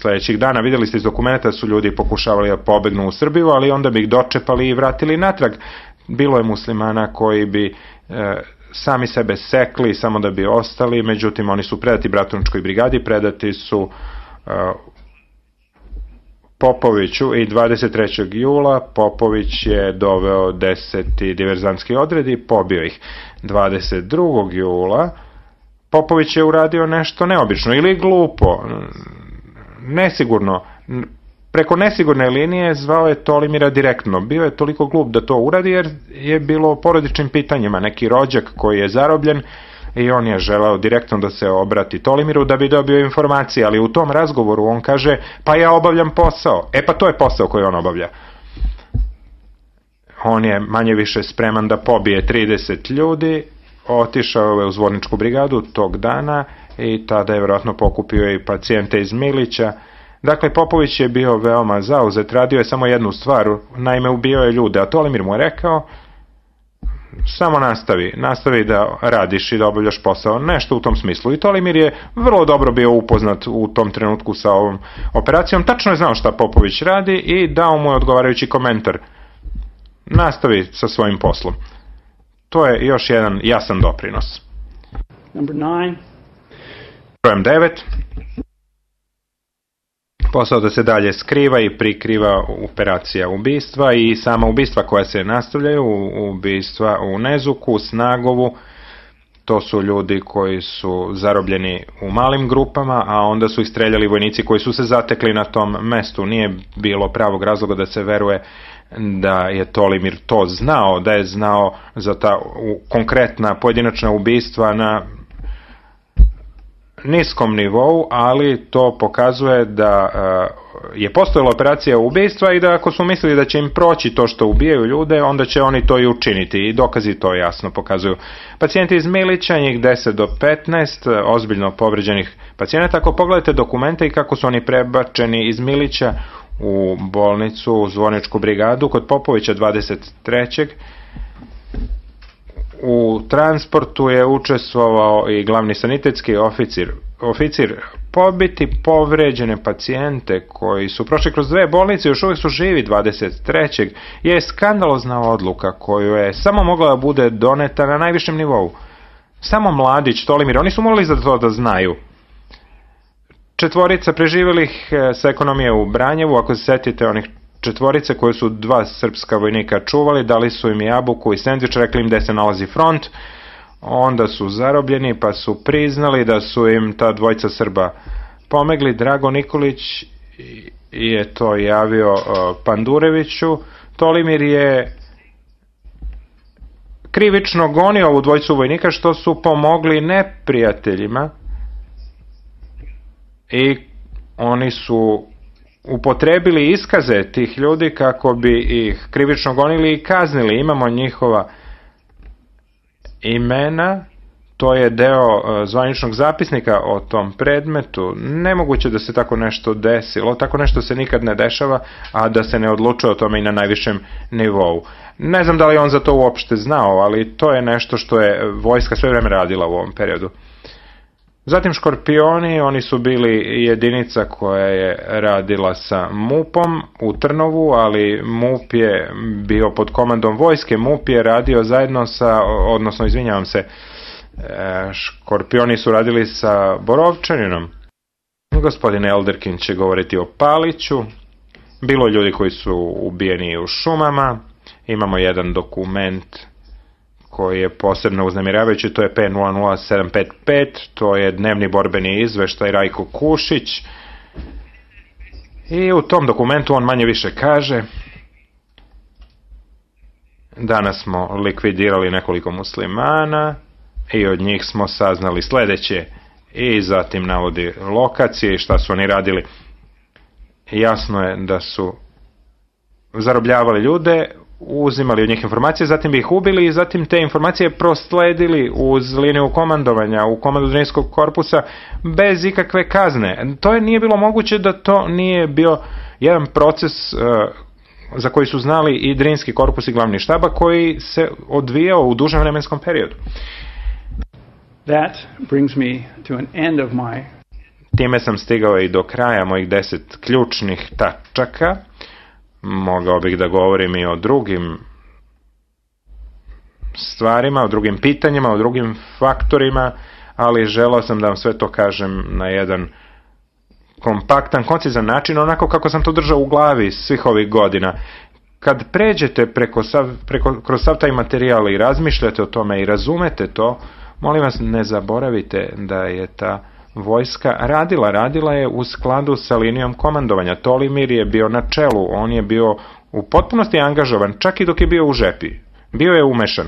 sledećih dana. Vidjeli ste iz dokumenta da su ljudi pokušavali da pobegnu u Srbiju, ali onda bi ih dočepali i vratili natrag. Bilo je muslimana koji bi sami sebe sekli samo da bi ostali, međutim oni su predati Bratunačkoj brigadi, predati su Popoviću i 23. jula Popović je doveo 10. diverzantski odred i pobio ih. 22. jula Popović je uradio nešto neobično ili glupo, nesigurno. Preko nesigurne linije zvao je Tolimira direktno. Bio je toliko glup da to uradi jer je bilo o porodičnim pitanjima. Neki rođak koji je zarobljen i on je želeo direktno da se obrati Tolimiru da bi dobio informacije, ali u tom razgovoru on kaže, pa ja obavljam posao. Pa to je posao koji on obavlja. On je manje više spreman da pobije 30 ljudi, otišao je u Zvorničku brigadu tog dana i tada je vjerojatno pokupio i pacijente iz Milića. Dakle, Popović je bio veoma zauzet, radio je samo jednu stvar, naime ubio je ljude, a Tolimir mu je rekao, samo nastavi da radiš i da obavljaš posao, nešto u tom smislu. I Tolimir je vrlo dobro bio upoznat u tom trenutku sa ovom operacijom, tačno je znao šta Popović radi i dao mu je odgovarajući komentar. Nastavi sa svojim poslom. To je još jedan jasan doprinos. Brojem 9. Posao da se dalje skriva i prikriva operacija ubistva i sama ubistva koja se nastavljaju, ubistva u Nezuku, Snagovu, to su ljudi koji su zarobljeni u malim grupama, a onda su ih streljali vojnici koji su se zatekli na tom mestu. Nije bilo pravog razloga da se veruje da je Tolimir to znao, da je znao za ta konkretna pojedinačna ubistva na niskom nivou, ali to pokazuje da je postojala operacija ubistva i da ako su mislili da će im proći to što ubijaju ljude, onda će oni to i učiniti i dokazi to jasno pokazuju. Pacijenti iz Milića, njih 10 do 15 ozbiljno povređenih pacijenata, ako pogledate dokumente i kako su oni prebačeni iz Milića u bolnicu, u Zvorničku brigadu, kod Popovića 23. U transportu je učestvovao i glavni sanitetski oficir. Pobiti povređene pacijente koji su prošli kroz 2 bolnice, još uvijek su živi 23. je skandalozna odluka koju je samo mogla da bude doneta na najvišem nivou. Samo mladić Tolimir, oni su morali za to da znaju. 4 preživjelih sa ekonomije u Branjevu, ako se setite onih 4 koje su 2 srpska vojnika čuvali, dali su im jabuku i sendvič, rekli im gde se nalazi front, onda su zarobljeni pa su priznali da su im ta 2 Srba pomegli. Drago Nikolić je to javio Pandureviću. Tolimir je krivično gonio ovu 2 vojnika što su pomogli neprijateljima i oni su upotrebili iskaze tih ljudi kako bi ih krivično gonili i kaznili. Imamo njihova imena, to je deo zvaničnog zapisnika o tom predmetu. Nemoguće da se tako nešto desilo, tako nešto se nikad ne dešava, a da se ne odlučuje o tome i na najvišem nivou. Ne znam da li on za to uopšte znao, ali to je nešto što je vojska sve vreme radila u ovom periodu. Zatim Škorpioni, oni su bili jedinica koja je radila sa MUP-om u Trnovu, ali MUP je bio pod komandom vojske, MUP je radio zajedno sa, odnosno izvinjavam se, Škorpioni su radili sa Borovčaninom. Gospodin Elderkin će govoriti o Paliću, bilo ljudi koji su ubijeni u šumama, imamo jedan dokument koji je posebno uznemiravajući, to je P00755, to je dnevni borbeni izveštaj Rajko Kušić i u tom dokumentu on manje više kaže: danas smo likvidirali nekoliko muslimana i od njih smo saznali sledeće, i zatim navodi lokacije i šta su oni radili. Jasno je da su zarobljavali ljude, uzimali od njih informacije, zatim bi ih ubili i zatim te informacije prosledili uz liniju komandovanja u komandu Drinskog korpusa bez ikakve kazne. To nije bilo moguće da to nije bio jedan proces za koji su znali i Drinski korpus i glavni štaba, koji se odvijao u dužem vremenskom periodu. Time sam stigao i do kraja mojih 10 ključnih tačaka. Mogao bih da govorim i o drugim stvarima, o drugim pitanjima, o drugim faktorima, ali želeo sam da vam sve to kažem na jedan kompaktan, koncizan način, onako kako sam to držao u glavi svih ovih godina. Kad pređete kroz sav taj materijal i razmišljate o tome i razumete to, molim vas, ne zaboravite da je ta vojska radila je u skladu sa linijom komandovanja. Tolimir je bio na čelu, on je bio u potpunosti angažovan, čak i dok je bio u žepi. Bio je umešan.